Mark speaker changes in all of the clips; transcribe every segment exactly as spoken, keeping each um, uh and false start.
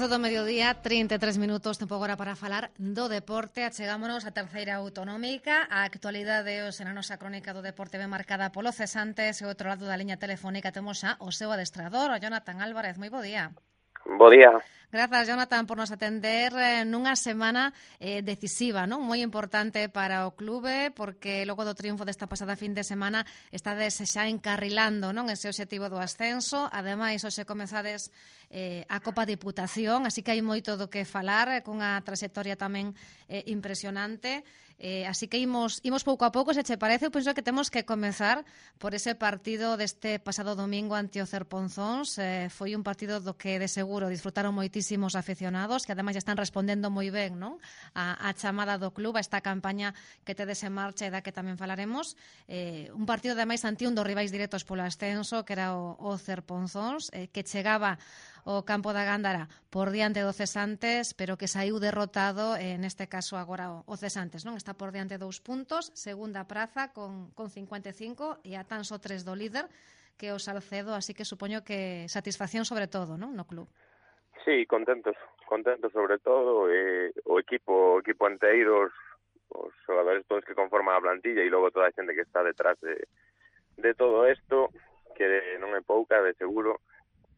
Speaker 1: doce do mediodía, trinta e tres minutos, tempo agora para falar do deporte. Achegámonos á terceira autonómica. A actualidade hoxe na nosa crónica do deporte ben marcada polo cesantes e ao outro lado da liña telefónica temos xa o seu adestrador, o Jonathan Álvarez. Moi bo día.
Speaker 2: Bo día.
Speaker 1: Grazas, Jonathan, por nos atender eh, nunha semana eh, decisiva, non? Moi importante para o clube, porque logo do triunfo desta pasada fin de semana estades xa encarrilando, non, ese obxectivo do ascenso. Ademais, hoxe comezades eh, a Copa Diputación, así que hai moito do que falar, eh, cunha trayectoria tamén eh, impresionante. Eh, así que imos, imos pouco a pouco, se che parece. Eu penso que temos que comezar por ese partido deste pasado domingo ante o Cerponzóns. Eh, foi un partido do que de seguro disfrutaron moitísimos aficionados, que ademais están respondendo moi ben, non? A, a chamada do club, a esta campaña que tedes en marcha e da que tamén falaremos. Eh, un partido ademais ante un dos rivais directos polo ascenso, que era o, o Cerponzóns, eh, que chegaba o campo da Gándara por diante do Cesantes, pero que saiu derrotado, eh, neste caso agora o, o Cesantes, non? Está por diante dous puntos, segunda praza con, con cincuenta e cinco e a tan só tres do líder, que é o Salcedo, así que supoño que satisfacción sobre todo, non, no club.
Speaker 2: Sí, contentos, contentos sobre todo, eh, o equipo, o equipo enteiro, os, os xogadores todos que conforman a plantilla e logo toda a xente que está detrás de, de todo isto, que non é pouca, de seguro.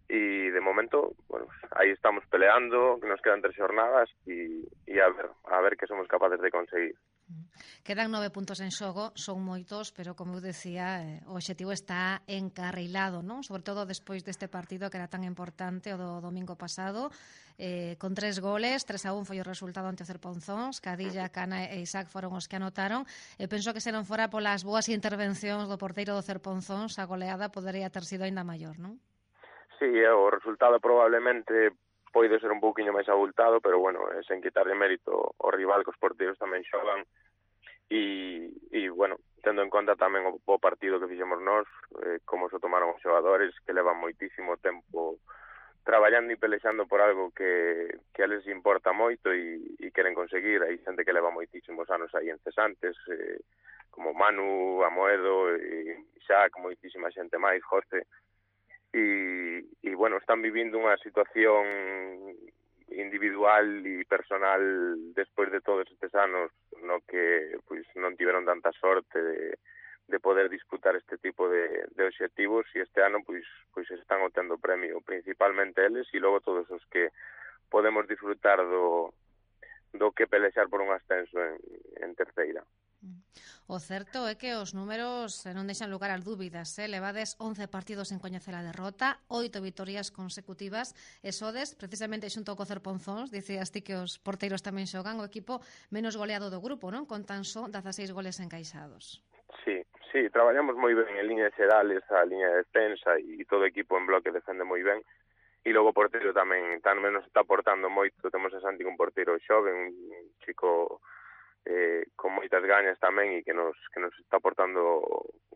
Speaker 2: Y de momento, bueno, ahí estamos peleando, que nos quedan tres jornadas y, y a ver a ver qué somos capaces de conseguir.
Speaker 1: Quedan nove puntos en xogo, son moitos, pero como eu decía, eh, o obxectivo está encarrilado, non? Sobre todo despois deste partido que era tan importante o do domingo pasado, eh, con tres goles, tres a un foi o resultado ante o Cerponzóns, Cadilla, Cana e Isaac foron os que anotaron. E penso que se non fora polas boas intervencións do porteiro do Cerponzóns, a goleada podería ter sido aínda maior, non?
Speaker 2: Sí, o resultado probablemente pode ser un pouquiño máis abultado, pero bueno, é sen quitarle mérito ao rival, que os porteiros tamén xogan e, e bueno, tendo en conta tamén o, o partido que fixemos nós, eh, como se tomaron os xogadores, que levan moitísimo tempo traballando e pelexando por algo que, que a les importa moito e, e queren conseguir. Hai xente que leva moitísimos anos aí en cesantes, eh, como Manu, Amoedo, e Isaac, moitísima xente máis, José. Y, y bueno, están vivindo unha situación individual e personal despois de todos estes anos no que pois non tiveron tanta sorte de, de poder disputar este tipo de, de obxectivos, e este ano pois pois están obtendo premio, principalmente eles e logo todos os que podemos disfrutar do do que pelexar por un ascenso en, en terceira.
Speaker 1: O certo é que os números non deixan lugar ás dúbidas, eh? Levades once partidos en coñecer a derrota, oito vitorias consecutivas, e sodes, precisamente xunto co Cerponzóns, dicías ti que os porteiros tamén xogan, o equipo menos goleado do grupo, non? Con tan só dezaseis goles encaixados.
Speaker 2: Sí, sí, traballamos moi ben en líneas xerales, a liña de defensa e todo o equipo en bloque defende moi ben. E logo o porteiro tamén, tamén nos está aportando moito. Temos a Santi, un porteiro xove, un chico eh, con moitas gañas tamén e que nos que nos está aportando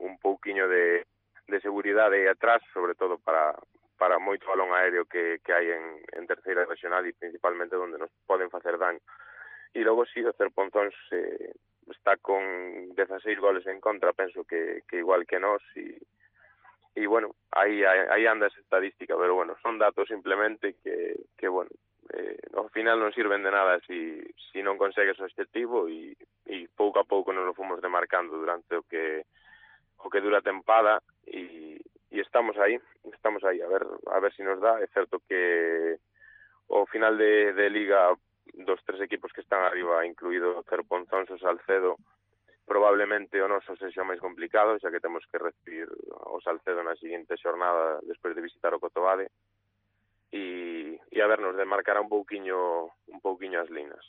Speaker 2: un pouquiño de, de seguridade aí atrás, sobre todo para para moito balón aéreo que, que hai en, en terceira regional e principalmente onde nos poden facer daño. E logo si, o Cerponzóns eh, está con dezaseis goles en contra, penso que, que igual que nós, e E, bueno, aí, aí anda esa estadística, pero, bueno, son datos simplemente que, que bueno, eh, ao final non sirven de nada si, si non consegues o objetivo e, e pouco a pouco nos lo fomos demarcando durante o que o que dura a tempada e, e estamos aí, estamos aí, a ver a ver si nos dá. É certo que o final de, de Liga dos tres equipos que están arriba, incluído Cerponzóns e Salcedo, probablemente o noso sexa máis complicado, xa que temos que recibir o Salcedo na seguinte xornada despois de visitar o Cotobade e, e a ver, nos demarcará un pouquiño un pouquiño as linas.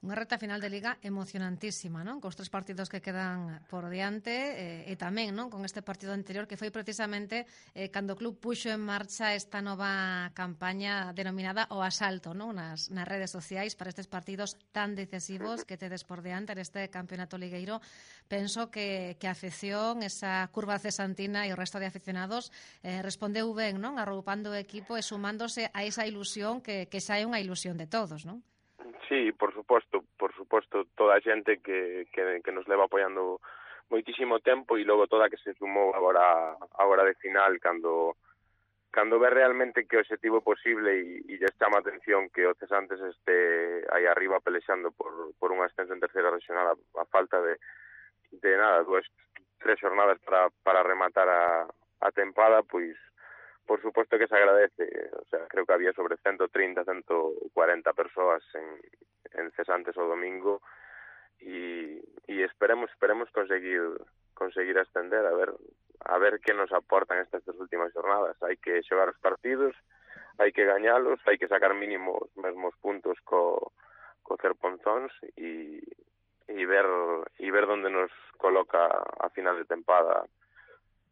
Speaker 1: Unha reta final de Liga emocionantísima, non? Cos tres partidos que quedan por diante eh, e tamén, non? Con este partido anterior que foi precisamente eh, cando o club puxo en marcha esta nova campaña denominada o asalto, non? Nas, nas redes sociais para estes partidos tan decisivos que tedes por diante neste campeonato ligueiro. Penso que, que a afección, esa curva cesantina e o resto de aficionados eh, respondeu ben, non? Arroupando o equipo e sumándose a esa ilusión que, que xa é unha ilusión de todos, non?
Speaker 2: Sí, por suposto, por suposto, toda a xente que, que, que nos leva apoiando moitísimo tempo e logo toda que se sumou agora agora de final cando cando ve realmente que o objetivo é posible e, e lle chama a atención que o Cesantes este aí arriba pelexando por, por un ascenso en terceira regional a, a falta de, de nada, dúas, tres xornadas para, para rematar a, a tempada, pois por suposto que se agradece. O sea, creo que había sobre ciento trinta, ciento cuarenta persoas en, en Cesantes o domingo e, e esperemos esperemos conseguir conseguir ascender, a ver a ver que nos aportan estas tres últimas jornadas. Hai que xogar os partidos, hai que gañalos, hai que sacar mínimo os mesmos puntos co, co Cerponzóns e, e ver e ver onde nos coloca a final de tempada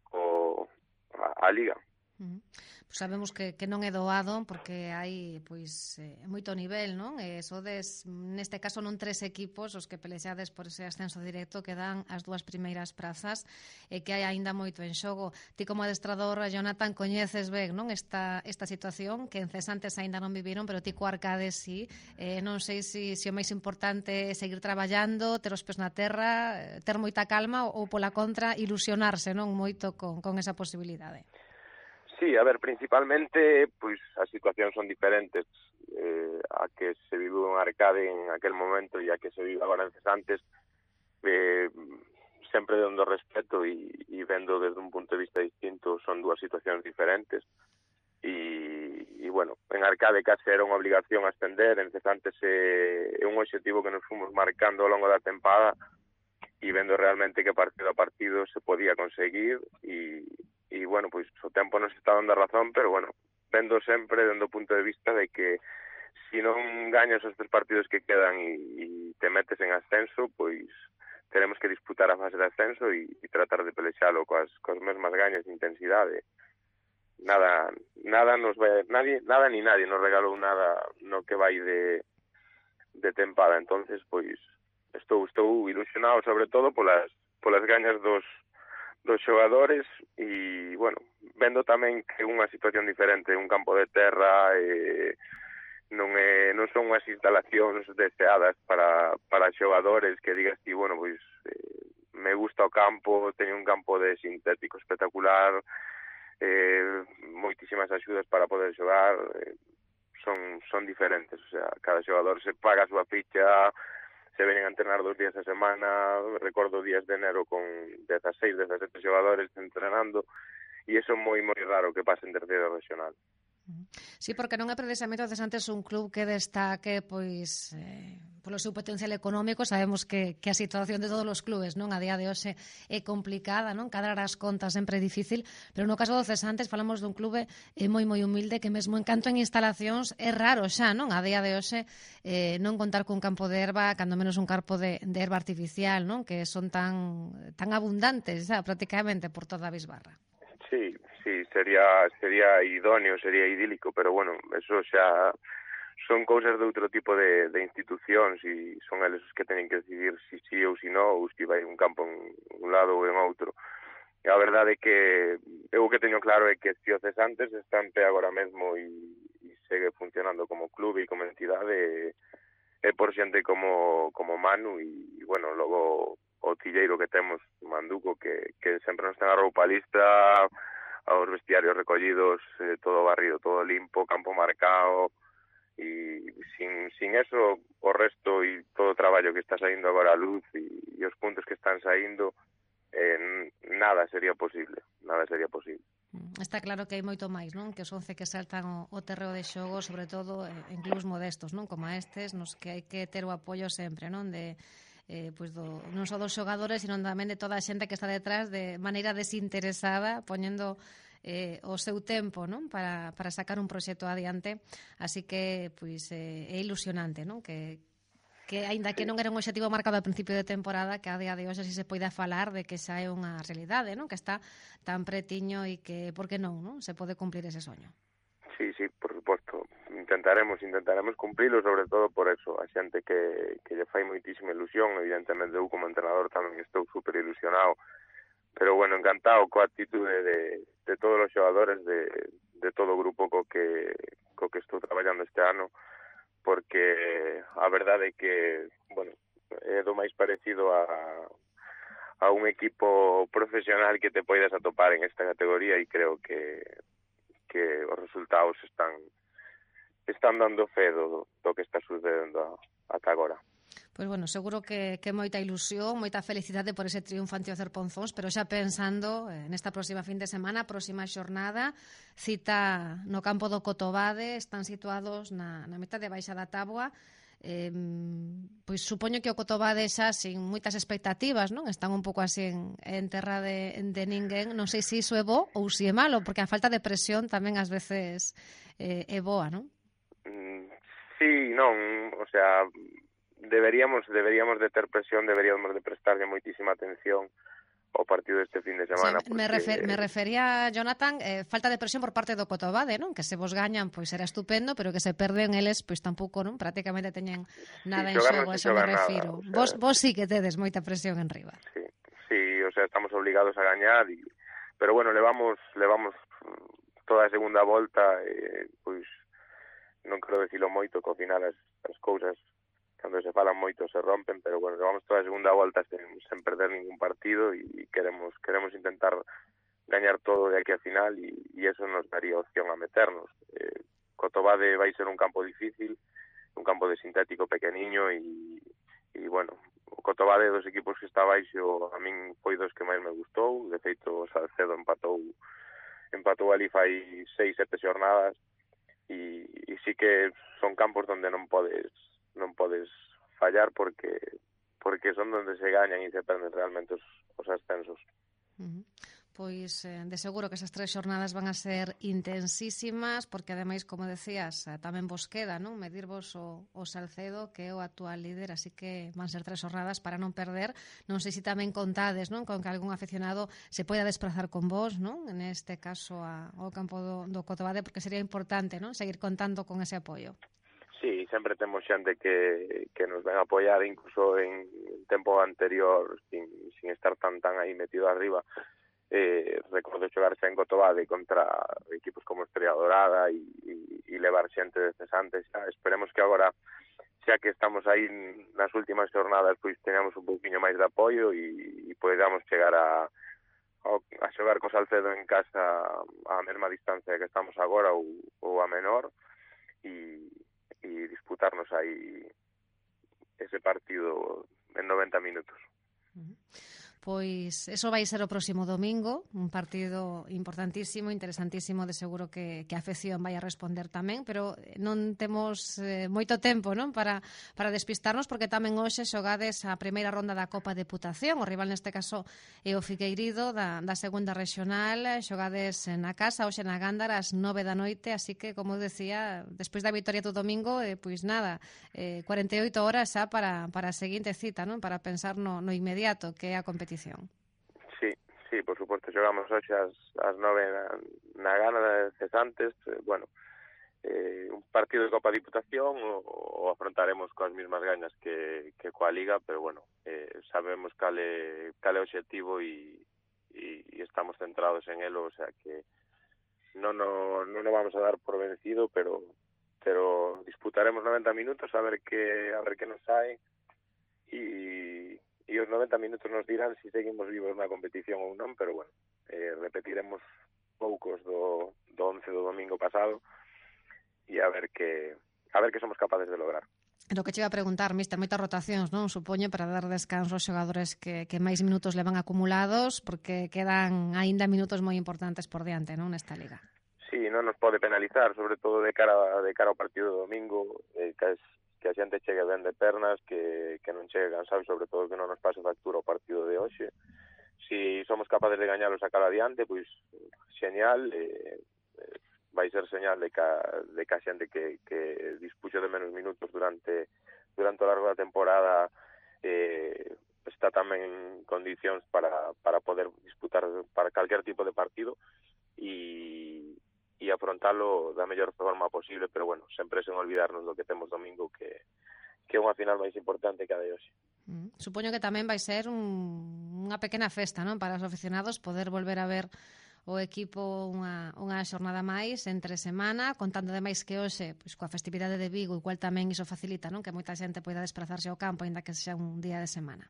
Speaker 2: o, a, a Liga.
Speaker 1: Uh-huh. Pues sabemos que, que non é doado porque hai pois eh, moito nivel, non? E sodes, neste caso, non tres equipos os que pelexades por ese ascenso directo que dan as dúas primeiras prazas e que hai aínda moito en xogo. Ti como adestrador, Jonathan, coñeces ben, non, esta, esta situación que en Cesantes aínda non viviron, pero ti co Arcades sí. Eh, non sei se si, si o máis importante é seguir traballando, ter os pés na terra, ter moita calma ou, pola contra, ilusionarse, non, moito con, con esa posibilidade.
Speaker 2: Sí, a ver, principalmente, pois as situacións son diferentes eh, a que se vive en Arcade en aquel momento e a que se vive agora en Cesantes, eh, sempre dando respeto e, e vendo desde un punto de vista distinto, son dúas situacións diferentes e, e bueno, en Arcade case era unha obligación ascender, en Cesantes é, é un objetivo que nos fomos marcando ao longo da tempada e vendo realmente que partido a partido se podía conseguir e e, bueno, pois o tempo nos está dando a razón, pero, bueno, vendo sempre dando o punto de vista de que se non gañas os tres partidos que quedan e, e te metes en ascenso, pois teremos que disputar a fase de ascenso e, e tratar de pelexalo coas, coas mesmas gañas de intensidade. Nada, nada nos vai, nadie, nada ni nadie nos regalou nada no que vai de, de tempada, entonces, pois, estou, estou ilusionado sobre todo polas, polas gañas dos dos xogadores e, bueno, vendo tamén que é unha situación diferente, un campo de terra, eh, non é non son unhas instalacións deseadas para, para xogadores que digas ti, bueno, pois eh, me gusta o campo, teño un campo de sintético espectacular, eh, moitísimas axudas para poder xogar, eh, son, son diferentes, o sea, cada xogador se paga a súa ficha, se venen a entrenar dos días a semana, recordo días de enero con dieciséis, diecisiete xogadores entrenando, e iso é moi, moi raro que pase en terceira regional.
Speaker 1: Sí, porque non é precisamente o Cesantes un club que destaque pois eh, polo seu potencial económico. Sabemos que, que a situación de todos os clubes non a día de hoxe é complicada, non, cadrar as contas sempre é difícil, pero no caso do Cesantes falamos dun clube eh, moi moi humilde que mesmo en canto en instalacións é raro xa, non, a día de hoxe eh, non contar cun campo de herba, cando menos un campo de, de herba artificial, non, que son tan tan abundantes xa, prácticamente por toda a Bisbarra.
Speaker 2: Sí, sí, sería sería idóneo, sería idílico, pero bueno, eso xa son cousas de outro tipo de, de institucións e son eles os que teñen que decidir si sí ou si non, ou si vai un campo en un lado ou en outro. E a verdade é que eu o que teño claro é que se o Cesantes está en pé agora mesmo e, e segue funcionando como clube e como entidade, é por xente como, como Manu e, e bueno, logo o tilleiro que temos, Manduco, que, que sempre nos ten a roupa lista, aos vestiarios recollidos, eh, todo barrido, todo limpo, campo marcado, e sin, sin eso, o resto e todo o traballo que está saindo agora a luz e, e os puntos que están saindo, eh, nada sería posible, nada sería posible.
Speaker 1: Está claro que hai moito máis, non? Que os once que saltan o, o terreo de xogo, sobre todo en clubs modestos, non? Como estes, nos que hai que ter o apoio sempre, non? De eh, pois do, non só dos xogadores, sino tamén de toda a xente que está detrás de maneira desinteresada, poñendo eh, o seu tempo, non? Para, para sacar un proxecto adiante. Así que, pois, eh, é ilusionante, non? Que, que aínda que non era un objetivo marcado ao principio de temporada, que a día de hoxe si se poida falar de que xa é unha realidade, non? Que está tan pretiño e que, por que non, non? Se pode cumplir ese soño.
Speaker 2: Sí, sí, por suposto. Intentaremos, intentaremos cumplilo, sobre todo por eso. A xente que, que lle fai moitísima ilusión, evidentemente eu como entrenador tamén estou super ilusionado, pero bueno, encantado coa actitude de, de todos os xogadores, de, de todo o grupo co que, co que estou traballando este ano, porque a verdade é que, bueno, é do máis parecido a, a un equipo profesional que te poidas atopar en esta categoría e creo que que os resultados están están dando fe do, do que está sucedendo ata agora.
Speaker 1: Pois bueno, seguro que, que moita ilusión, moita felicidade por ese triunfo ante o Cerponzóns, pero xa pensando eh, nesta próxima fin de semana, próxima xornada, cita no campo do Cotobade, están situados na, na mitad de baixa da táboa. Eh, pois supoño que o Cotobade xa sin moitas expectativas, non? Están un pouco así en, en terra de, de ninguén. Non sei se iso é bo ou se é malo, porque a falta de presión tamén ás veces eh, é boa, non?
Speaker 2: Sí, non, o sea, deberíamos deberíamos de ter presión, deberíamos de prestarlle moitísima atención ao partido deste fin de semana.
Speaker 1: Sí, porque... me, refer, me refería, Jonathan, eh, falta de presión por parte do Cotobade, non? Que se vos gañan, pois será estupendo, pero que se perden eles, pois tampouco, non? Prácticamente teñen nada sí, en xogo, eso me refiro. Nada, o sea, vos, vos sí que tedes moita presión en riba.
Speaker 2: Sí, sí, o sea, estamos obligados a gañar, y, pero bueno, levamos, levamos toda a segunda volta, eh, pois non quero dicilo moito, que ao final as, as cousas cando se falan moito se rompen, pero bueno, levamos toda a segunda volta sen, sen perder ningún partido e queremos queremos intentar gañar todo de aquí a final e, e eso nos daría opción a meternos. Eh, Cotobade vai ser un campo difícil, un campo de sintético pequeniño e, e bueno, o Cotobade dos equipos que está baixo a min foi dos que máis me gustou, de feito o Salcedo empatou empatou ali fai seis, sete xornadas. E, e sí que son campos donde non podes non podes fallar porque porque son donde se gañan e se perden realmente os, os ascensos.
Speaker 1: Uh-huh. Pois eh, de seguro que esas tres xornadas van a ser intensísimas porque ademais, como decías, tamén vos queda, non? Medirvos o, o Salcedo, que é o actual líder, así que van ser tres xornadas para non perder. Non sei se tamén contades, non? Con que algún aficionado se poida desplazar con vos, non? En este caso a, ao campo do, do Cotobade, porque sería importante, non? Seguir contando con ese apoio.
Speaker 2: Sí, sempre temos xente que, que nos ven a apoiar, incluso en tempo anterior, sin, sin estar tan tan aí metido arriba. Eh, recordo xogar xa en Cotobade contra equipos como Estrella Dorada e, e, e levar xente de cesantes. Xa. Esperemos que agora, xa que estamos aí nas últimas jornadas, pois teñamos un pouquiño máis de apoio e, e podamos chegar a, a, a xogar co Salcedo en casa a mesma distancia que estamos agora ou, ou a menor e, e disputarnos aí ese partido en noventa minutos.
Speaker 1: Uh-huh. Pois eso vai ser o próximo domingo, un partido importantísimo, interesantísimo, de seguro que, que a afección vai a responder tamén, pero non temos eh, moito tempo, non, para, para despistarnos, porque tamén hoxe xogades a primeira ronda da Copa Deputación, o rival neste caso é o Figueirido da, da segunda regional, xogades na casa, hoxe na Gándara, ás nove da noite, así que, como decía, despois da vitoria do domingo, eh, pois nada, eh, cuarenta e oito horas xa para, para a seguinte cita, non, para pensar no, no inmediato, que é a competición.
Speaker 2: Sí, sí, por suposto, xogamos hoxe ás, ás nove na, na gana de cesantes, eh, bueno, eh, un partido de Copa Diputación o, o afrontaremos coas mismas gañas que, que coa Liga, pero bueno, eh, sabemos cale, cale o objetivo e, e, e estamos centrados en elo, o sea que non no, non no vamos a dar por vencido, pero pero disputaremos noventa minutos a ver que a ver que nos sae e e os noventa minutos nos dirán se si seguimos vivos na competición ou non, pero bueno, eh, repetiremos poucos do, do once do domingo pasado e a ver que a ver que somos capaces de lograr.
Speaker 1: Lo que che iba a preguntar, mister, moitas rotacións, non? Supoño para dar descanso aos xogadores que, que máis minutos levan acumulados, porque quedan aínda minutos moi importantes por diante, non, nesta liga.
Speaker 2: Sí, non nos pode penalizar, sobre todo de cara de cara ao partido do domingo, eh, que es que a xente chegue ben de pernas, que, que non chegue cansado, sobre todo que non nos pase factura o partido de hoxe. Si somos capaces de gañalos a cada adiante, pois xeñal, eh, vai ser señal de que, de que a xente que, que dispuxo de menos minutos durante durante o largo da temporada eh, está tamén en condicións para, para poder disputar para calquer tipo de partido e e afrontalo da mellor forma posible, pero bueno, sempre sen olvidarnos do que temos domingo, que, que é unha final máis importante que a de hoxe.
Speaker 1: Mm. Supoño que tamén vai ser un, unha pequena festa, non, para os aficionados poder volver a ver o equipo unha, unha xornada máis entre semana, contando ademais que hoxe, pois, coa festividade de Vigo, igual tamén iso facilita, non, que moita xente poida desplazarse ao campo, aínda que sexa un día de semana.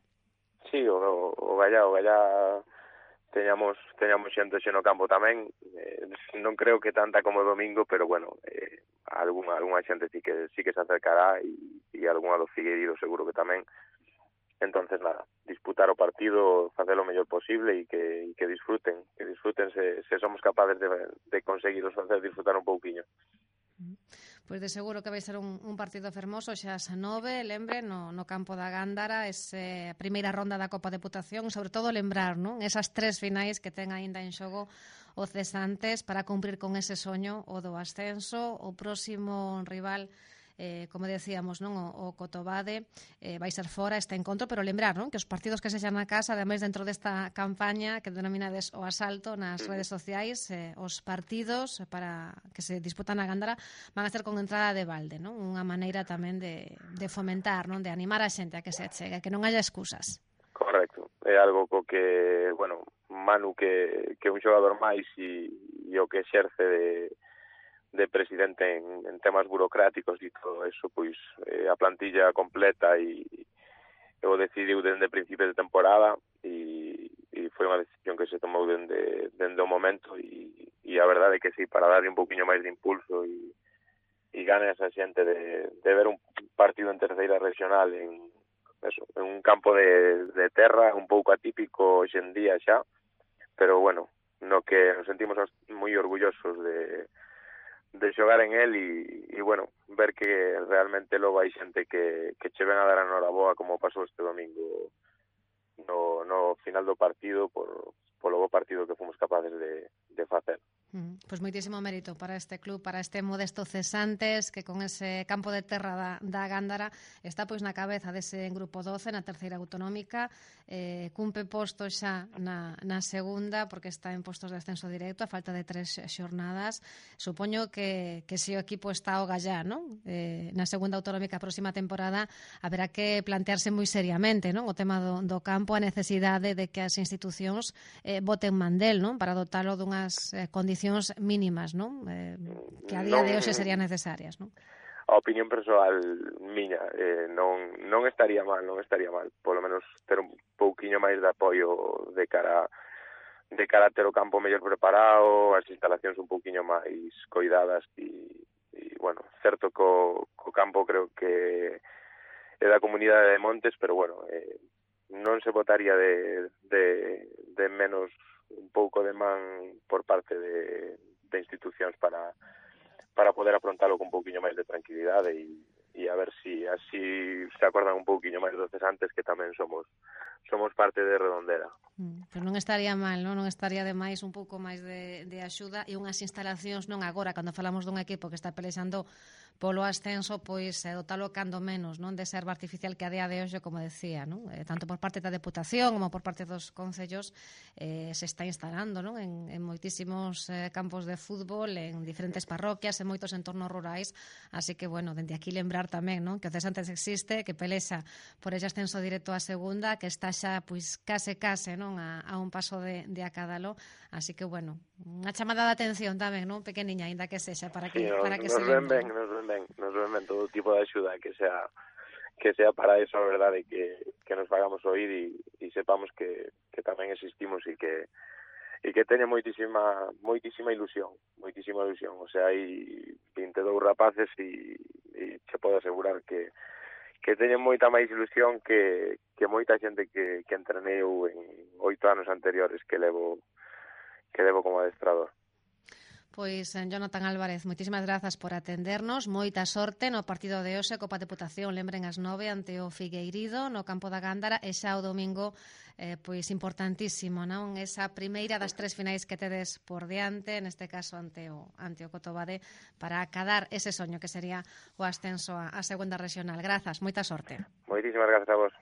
Speaker 2: Sí, o, o Gallá, o Gallá teñamos teñamos xente xe no campo tamén, eh, non creo que tanta como o domingo, pero bueno, eh, algunha, algunha xente sí que sí que se acercará e, e algunha do Figueiredo seguro que tamén. Entonces nada, disputar o partido, facer o mellor posible e que, e que disfruten, que disfruten se, se somos capaces de, de conseguiros facer disfrutar un pouquiño.
Speaker 1: Pois de seguro que vai ser un, un partido fermoso xa ás nove, lembre, no, no campo da Gándara, esa primeira ronda da Copa Deputación, e sobre todo lembrar, non? Esas tres finais que ten aínda en xogo o Cesantes para cumprir con ese soño o do ascenso. O próximo rival, eh, como decíamos, non, o, o Cotobade eh, vai ser fora este encontro, pero lembrar, non, que os partidos que se xan na casa, ademais dentro desta campaña que denominades o asalto nas redes sociais, eh, os partidos para que se disputan na Gándara van a ser con entrada de balde, non? Unha maneira tamén de, de fomentar, non, de animar a xente a que se chegue, que non haya excusas.
Speaker 2: Correcto, é algo co que, bueno, Manu que, que é un xogador máis e, e o que exerce de de presidente en, en temas burocráticos e todo eso, pois eh, a plantilla completa e, e o decidiu dende principios de temporada e, e foi unha decisión que se tomou dende, dende o momento e, e a verdade é que sí, para darle un poquinho máis de impulso e, e gane esa xente de, de ver un partido en terceira regional en, eso, en un campo de, de terra un pouco atípico hoxe en día xa, pero bueno, no que nos sentimos moi orgullosos de de xogar en el e, e bueno, ver que realmente logo hai xente que, que che ven a dar a noraboa como pasou este domingo no, no final do partido por, polo bo partido que fomos capaces de, de facer.
Speaker 1: Mm, pois moitísimo mérito para este club, para este modesto Cesantes, que con ese campo de terra da, da Gándara está pois na cabeza dese grupo doce na terceira autonómica, eh, cumpe postos xa na, na segunda porque está en postos de ascenso directo a falta de tres xornadas. Supoño que, que se o equipo está ao gallá, non? Eh, na segunda autonómica a próxima temporada haberá que plantearse moi seriamente, non? O tema do, do campo, a necesidade de que as institucións eh, boten mandel, non? Para dotalo dunhas eh, condicións mínimas, non? Eh, que a día non, de hoxe serían necesarias, non?
Speaker 2: A opinión persoal miña, eh, non non estaría mal, non estaría mal, polo menos ter un pouquiño máis de apoio de cara de cara a ter o campo mellor preparado, as instalacións un pouquiño máis coidadas e, e bueno, certo co, co campo creo que é da comunidade de Montes, pero bueno, eh, non se botaría de, de, de menos un pouco de man por parte de, de institucións para para poder afrontalo con un pouquiño máis de tranquilidade e, e a ver si así se acordan un pouquiño máis dos Cesantes que tamén somos somos parte de Redondela.
Speaker 1: Mm, pero non estaría mal, non? Non estaría de máis un pouco máis de, de axuda e unhas instalacións non agora, cando falamos dun equipo que está pelexando polo ascenso, pois eh, dotalo cando menos, non, de ser artificial que a día de hoxe, como decía, non? Eh, tanto por parte da Deputación como por parte dos concellos eh, se está instalando, non? En, en moitísimos eh, campos de fútbol, en diferentes parroquias, en moitos entornos rurais, así que, bueno, dende aquí lembrar tamén, non? Que o Cesantes existe, que pelexa por ese ascenso directo á segunda, que está xa, pois, case, case, non? A, a un paso de, de acádalo, así que, bueno, unha chamada de atención tamén, non? Pequeniña, ainda que sexa, para que,
Speaker 2: sí, nos,
Speaker 1: para que
Speaker 2: nos
Speaker 1: se
Speaker 2: ven
Speaker 1: lembre.
Speaker 2: Ben, nos ven ben, nos ven ben todo tipo de axuda que sea que sea para eso, a verdade, que, que nos fagamos oír e, e sepamos que, que tamén existimos e que e que teña moitísima moitísima ilusión, moitísima ilusión, o sea, hai vinte e dous rapaces e, e che podo asegurar que que teñen moita máis ilusión que, que moita xente que, que entreneu en oito anos anteriores que levo que levo como adestrador.
Speaker 1: Pois, Jonathan Álvarez, moitísimas grazas por atendernos, moita sorte no partido de hoxe, Copa Deputación, lembren as nove ante o Figueirido no campo da Gándara, e xa o domingo eh, pois importantísimo, non? Esa primeira das tres finais que tedes por diante, neste caso ante o, ante o Cotobade, para acadar ese soño que sería o ascenso á segunda regional. Grazas, moita sorte.
Speaker 2: Moitísimas grazas a vos.